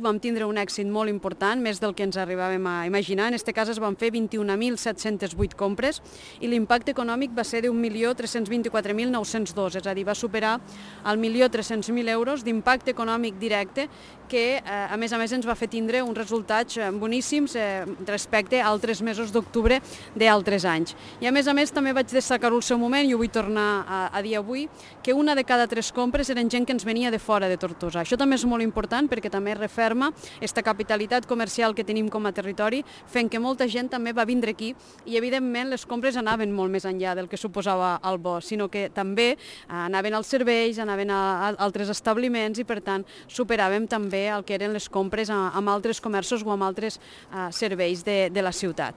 Vam tindre un èxit molt important, més del que ens arribàvem a imaginar. En aquest cas es van fer 21.708 compres i l'impacte econòmic va ser d'1.324.902, és a dir, va superar el 1.300.000 euros d'impacte econòmic directe que, a més ens va fer tindre uns resultats boníssims respecte a altres mesos d'octubre d'altres anys. I a més també vaig destacar-ho al seu moment i ho vull tornar a dir avui, que una de cada 3 compres eren gent que ens venia de fora de Tortosa. Això també és molt important perquè també referma aquesta capitalitat comercial que tenim com a territori, fent que molta gent també va vindre aquí i evidentment les compres anaven molt més enllà del que suposava el bo, sinó que també anaven als serveis, anaven a altres establiments i per tant superàvem també el que eren les compres amb altres comerços o amb altres serveis de la ciutat.